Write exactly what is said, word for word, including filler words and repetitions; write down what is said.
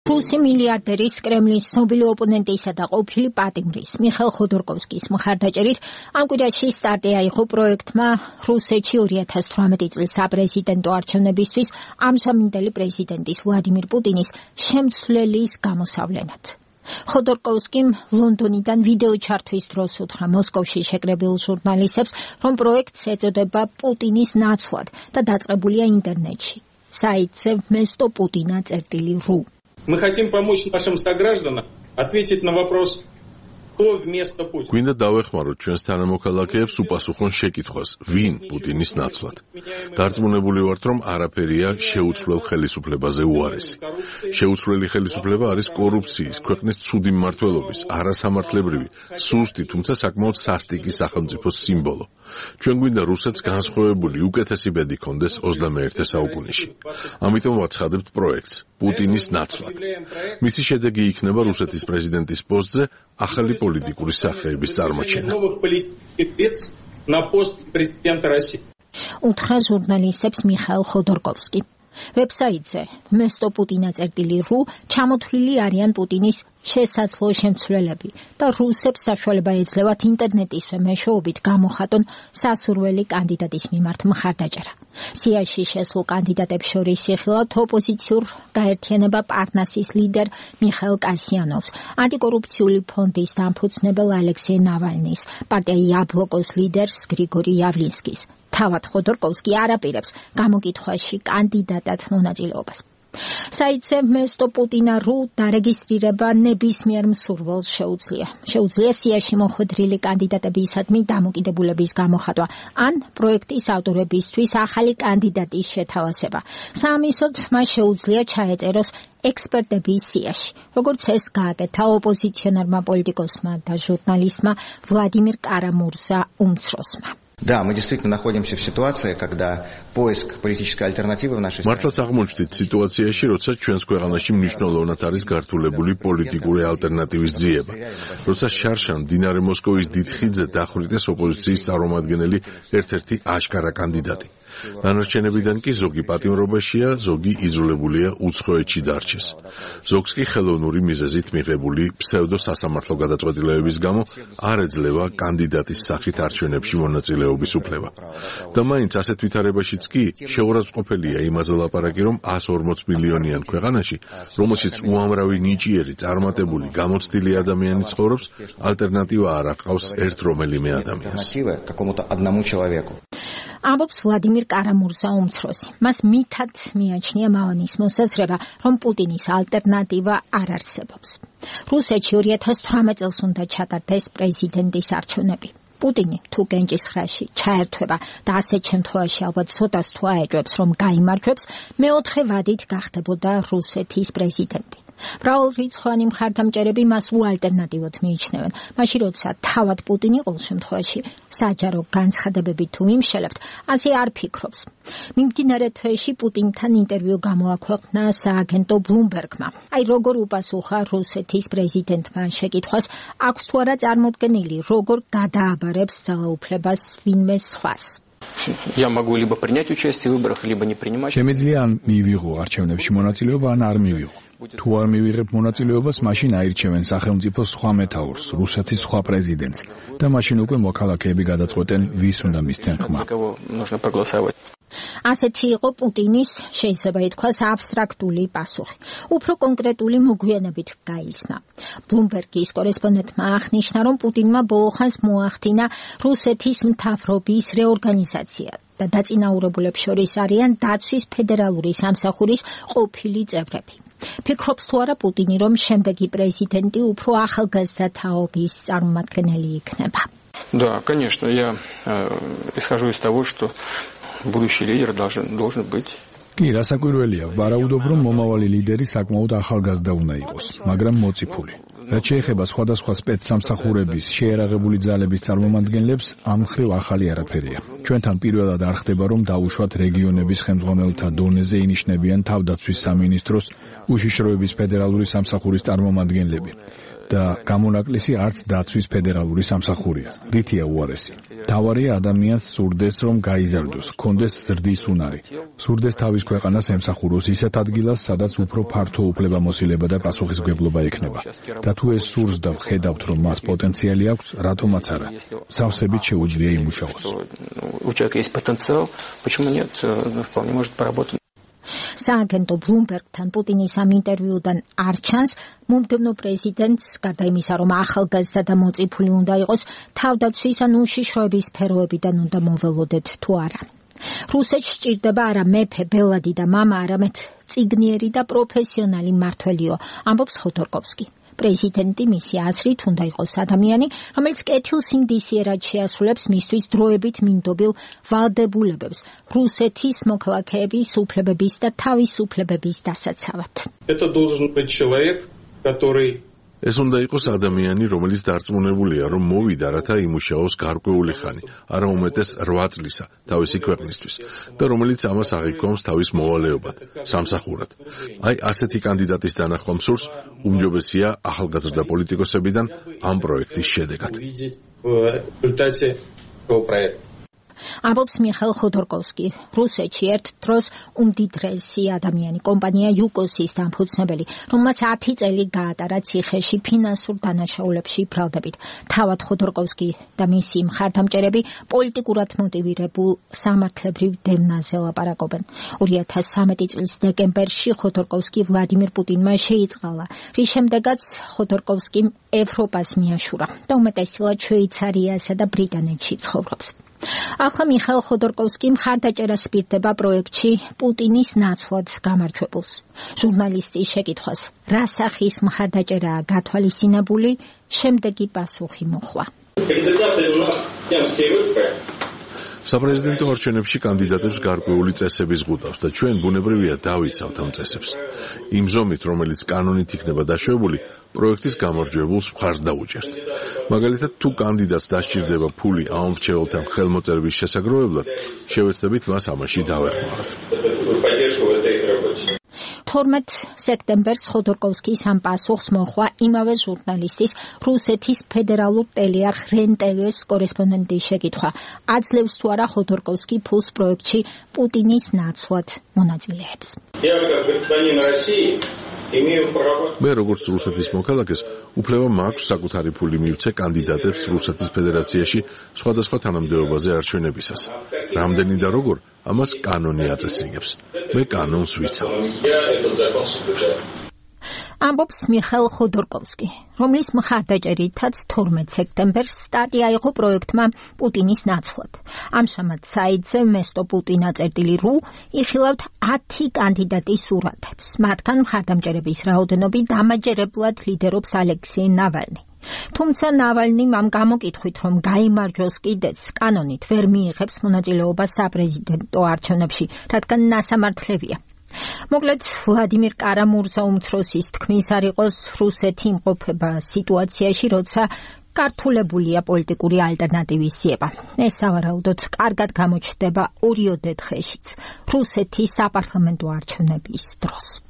რუსი მილიარდერის კრემლის ცნობილი ოპონენტისა და ყოფილი პატიმრის მიხეილ ხოდორკოვსკის მხარდაჭერით ამ კვირაში სტარტი აიღო პროექტმა რუსეთში ორი ათას თვრამეტი წლის საპრეზიდენტო არჩევნებისთვის ამჟამინდელი პრეზიდენტის ვლადიმირ პუტინის შემცვლელის გამოსავლენად. ხოდორკოვსკიმ ლონდონიდან ვიდეო ჩართვის დროს უთხრა მოსკოვში შეკრებილ ჟურნალისტებს, რომ პროექტს ეწოდება პუტინის ნაცვლად და დაწყებულია ინტერნეტში. საიტზე вместо Путина წერტილი რუ. Мы хотим помочь нашим согражданам ответить на вопрос, кто вместо Путина. გვინდა დავეხმაროთ ჩვენს თანამოქალაქეებს უპასუხონ შეკითხვას, ვინ პუტინის ნაცვლად. დარწმუნებული ვართ, რომ არაფერია შეუცვლელ ხელისუფლებაზე უარესი. შეუცვლელი ხელისუფლება არის კორუფციის, ქვეყნის ცუდი მმართველობის, არასამართლებრივი, სუსტი, თუმცა საკმაოდ სასტიკი სახელმწიფოს სიმბოლო. ჩვენ გვინდა რუსეთს განსხვავებული უკეთესი ბედი ჰქონდეს ოცდამეერთე საუკუნეში. ამიტომ ვაცხადებთ პროექტს პუტინის ნაცვლად. მისი შედეგი იქნება რუსეთის პრეზიდენტის პოსტზე ახალი პოლიტიკური სახეების წარმოჩენა. უთხრა ჟურნალისტებს მიხეილ ხოდორკოვსკი. ვებსაიტზე вместо Путина წერტილი რუ ჩამოთვლილი არიან პუტინის შესაძლო შემცვლელები და რუსებს საშუალება ეძლევათ ინტერნეტისვე მეშვეობით გამოხატონ სასურველი კანდიდატის მიმართ მხარდაჭერა. სიაში შესულ კანდიდატებს შორის იხილავთ ოპოზიციურ გაერთიანება პარნასის ლიდერ მიხეილ კასიანოვს, ანტიკორუფციული ფონდის დამფუძნებელ ალექსეი ნავალნის, პარტია იაბლოკოს ლიდერს გრიგორი იავლინსკის. თავად ხოდორკოვსკი არაპირებს გამოკითხვაში კანდიდატად მონაწილეობას. საიტზე вместо Путина რუ დარეგისტრირება ნებისმიერ მსურველს შეუძლია. შეუძლია სიაში მოხვედრილი კანდიდატებისადმი დამოკიდებულების გამოხატვა ან პროექტის ავტორებისთვის ახალი კანდიდატის შეთავაზება. საამისოდ მას შეუძლია ჩაეწეროს ექსპერტების სიაში, როგორც ეს გააკეთა ოპოზიციონერმა პოლიტიკოსმა და ჟურნალისტმა ვლადიმირ კარამურზა უმცროსმა. Да, мы действительно находимся в ситуации, когда поиск политической альтернативы в нашей стране. მართლაც აღმოჩნდით სიტუაციაში, როცა ჩვენს ქვეყანაში მნიშვნელოვნად არის გართულებული პოლიტიკური ალტერნატივის ძიება. როცა შარშან მდინარე მოსკოვის დიდ ხიდზე დახვრიტეს ოპოზიციის წარმომადგენელი ერთ-ერთი აშკარა კანდიდატი. დანარჩენებიდან კი ზოგი პატიმრობაშია, ზოგი იძულებულია უცხოეთში დარჩეს. ზოგს კი ხელოვნური მიზეზით მიღებული ფსევდო სასამართლო გადაწყვეტილებების გამო არ ეძლევა კანდიდატის სახით არჩევნებში მონაწილეობის უფლება. და მაინც ასეთ ვითარებაშიც კი შეურაცხყოფელია იმაზე ლაპარაკი, რომ εκατს ორმოც მილიონიან ქვეყანაში, რომელშიც უამრავი ნიჭიერი, წარმატებული, გამოცდილი ადამიანი ცხოვრობს, ალტერნატივა არ აყავს ერთ რომელიმე ადამიანს. ამბობს ვლადიმირ კარამურზა უმცროსი. მას მითად მიაჩნია მავანის მოსაზრება, რომ პუტინის ალტერნატივა არ არსებობს. რუსეთში ორი ათას თვრამეტ წელს უნდა ჩატარდეს პრეზიდენტის არჩევნები. პუტინი თუ კენჭისხრაში ჩაერთვება და ასეთ შემთხვევაში ალბათ ცოტას თუ აეჭვებს, რომ გაიმარჯვებს, მეოთხე ვადით გახდებოდა რუსეთის პრეზიდენტი. მრავალრიცხოვანი მხარდამჭერები მას უალტერნატივოდ მიიჩნევენ. მაშინ როცა თავად პუტინი ყოველ შემთხვევაში საჯარო განცხადებები თუ იმშელებთ, ასე არ ფიქრობს. მიმდინარე თვეში პუტინთან ინტერვიუ გამოაქვეყნა სააგენტო ბლუმბერგმა. აი როგორ უპასუხა რუსეთის პრეზიდენტმა შეკითხვას, აქვს თუ არა წარმოდგენილი, როგორ გადააბარებს ძალაუფლებას ვინმე სხვას. Я могу либо принять участие в выборах, либо не принимать. შემიძლია ან მივიღო არჩევნებში მონაწილეობა, ან არ მივიღო. თუ არ მივიღებ მონაწილეობას, მაშინ აირჩევენ სახელმწიფოს სხვა მეთაურს, რუსეთის სხვა პრეზიდენტს და მაშინ უკვე მოქალაქეები გადაწყვეტენ, ვის უნდა მისცენ ხმა. ასეთი იყო პუტინის, შეიძლება ითქვას, აბსტრაქტული პასუხი. უფრო კონკრეტული მოგვიანებით გაიცნა. ბლუმბერგის კორესპონდენტმა აღნიშნა, რომ პუტინმა ბოლოხანს მოახდინა რუსეთის მთავრობის რეორგანიზაცია და დაწინაურებულებს შორის არიან დაცვის ფედერალური სამსახურის ყოფილი წევრები. ფიქრობს თუ არა პუტინი, რომ შემდეგი პრეზიდენტი უფრო ახალგაზრდა თაობის წარმომადგენელი იქნება? Да, конечно, я исхожу из того, что будущий лидер должен должен быть. კი, რასაკვირველია, ვარაუდობ, რომ მომავალი ლიდერი საკმაოდ ახალგაზრდა უნდა იყოს, მაგრამ მოციფული. რაც შეეხება სხვადასხვა სპეცსამსახურების შეერაღებული ძალების წარმომადგენლებს, ამ მხრივ ახალი არაფერია. ჩვენთან პირველად არ ხდება, რომ დაუშვათ რეგიონების ხელმძღვანელთა დონეზე ინიშნებიან თავდაცვის სამინისტროს უშიშროების ფედერალური სამსახურის წარმომადგენლები. და გამონაკლისი არც დაცვის ფედერალური სამსახურია. რითია უარესი? თავარია ადამიანს სურდეს რომ გაიზარდოს, ჰქონდეს ზრდის უნარი. სურდეს თავის ქვეყანას ემსახუროს ისეთ ადგილას, სადაც უფრო ფართო უფლებამოსილება და პასუხისმგებლობა ექნება. და თუ ეს სურს და ვხედავთ რომ მას პოტენციალი აქვს, რატომაც არა. სავსებით შეუძლია იმუშაოს. У человека есть потенциал, почему нет? Вполне может поработать. სააგენტო ბლუმბერგთან პუტინის ამ ინტერვიუდან არ ჩანს, მომდევნო პრეზიდენტს, გარდა იმისა, რომ ახალგაზრდა და მოწიფული უნდა იყოს, თავდაცვის ან უშიშროების სფეროებიდან უნდა მოველოდეთ თუ არა. რუსეთს სჭირდება არა მეფე, ბელადი და მამა, არამედ წიგნიერი და პროფესიონალი მმართველიო, ამბობს ხოდორკოვსკი. პრეზიდენტი მისი აზრით უნდა იყოს ადამიანი, რომელიც კეთილ სინდისიერად შეასრულებს მისთვის დროებით მინდობილ ვალდებულებებს, რუსეთის მოქალაქეების უფლებების და თავისუფლებების დასაცავად. Это должен быть человек, который ეს უნდა იყოს ადამიანი, რომელიც დარწმუნებულია, რომ მოვიდა, რათა იმუშაოს გარკვეული ხანი, არა უმეტეს რვა წლისა, თავისი ქვეყნისთვის, და რომელიც ამას აღიქვამს თავის მოვალეობად, სამსახურად. აი, ასეთი კანდიდატის დანახვა მსურს უმჯობესია ახალგაზრდა პოლიტიკოსებიდან ამ პროექტის შედეგად. ამბობს მიხაილ ხოდორკოვსკი, რუსეთში ერთ დროს უმდიდრესი ადამიანი, კომპანია იუკოსის დამფუძნებელი, რომელმაც ათი წელი გაატარა ციხეში ფინანსურ დანაშაულებში ბრალდებით. თავად ხოდორკოვსკი და მისი მხარდამჭერები პოლიტიკურად მოტივირებულ სამართლებრივ დევნაზე ლაპარაკობენ. ორი ათას სამი წლის დეკემბერში ხოდორკოვსკი ვლადიმირ პუტინმა შეიწყალა, რის შემდეგაც ხოდორკოვსკიმ ევროპას მიაშურა და უმეტესწილად შვეიცარიასა და ბრიტანეთში ცხოვრობს. ახლა მიხაილ ხოდორკოვსკი მხარდაჭერას პირდება პროექტში პუტინის ნაცვლად გამარჯვებულს. ჟურნალისტის შეკითხვას, რა სახის მხარდაჭერაა გათვალისწინებული, შემდეგი პასუხი მოჰყვა. საპრეზიდენტო არჩევნებში კანდიდატებს გარკვეული წესები ზღუდავს და ჩვენ ბუნებრივია დავიცავთ ამ წესებს. იმ ზომით, რომელიც კანონით იქნება დაშვებული, პროექტის გამარჯვებულს მხარს დაუჭერთ. მაგალითად, თუ კანდიდატს დასჭირდება ფული ამ მრჩეველთან ხელმოწერების შესაგროვებლად, შევეცდებით მას ამაში დავეხმაროთ. თორმეტ სექტემბერს ხოდორკოვსკის ამ პასუხს მოჰყვა იმავე ჟურნალისტის, რუსეთის ფედერალურ ტელეარხ რენ-ტევ-ის კორესპონდენტის შეკითხვა. აძლევს თუ არა ხოდორკოვსკი ფულს პროექტში პუტინის ნაცვლად მონაწილეებს. მე როგორც რუსეთის მოქალაქეს უფლება მაქვს საკუთარი ფული მივცე კანდიდატებს რუსეთის ფედერაციაში სხვადასხვა თანამდებობაზე არჩევნებისას. რამდენი და როგორ, ამას კანონი აწესრიგებს. მე კანონს ვიცავ. ამბობს მიხაილ ხოდორკოვსკი, რომლის მხარდაჭერითაც თორმეტ სექტემბერს სტარტი აიღო პროექტმა პუტინის ნაცვლად. ამჟამად საიტზე მესტო პუტინა წერტილი რუ იხილავთ ათი კანდიდატის სურათებს. მათგან მხარდამჭერების რაოდენობით დამაჯერებლად ლიდერობს ალექსეი ნავალნი. თუმცა ნავალნიმ ამ გამოკითხვით, რომ გაიმარჯვოს კიდეც, კანონით ვერ მიიღებს მონაწილეობას საპრეზიდენტო არჩევნებში, რადგან ნასამართლებია. მოკლედ, ვლადიმირ კარამურზა უმცროსის თქმის არ იყოს, რუსეთი იმყოფება სიტუაციაში, როცა გართულებულია პოლიტიკური ალტერნატივის ძიება. ეს სავარაუდოდ კარგად გამოჩნდება ორიოდე დღეშიც, რუსეთის საპარლამენტო არჩევნების დროს.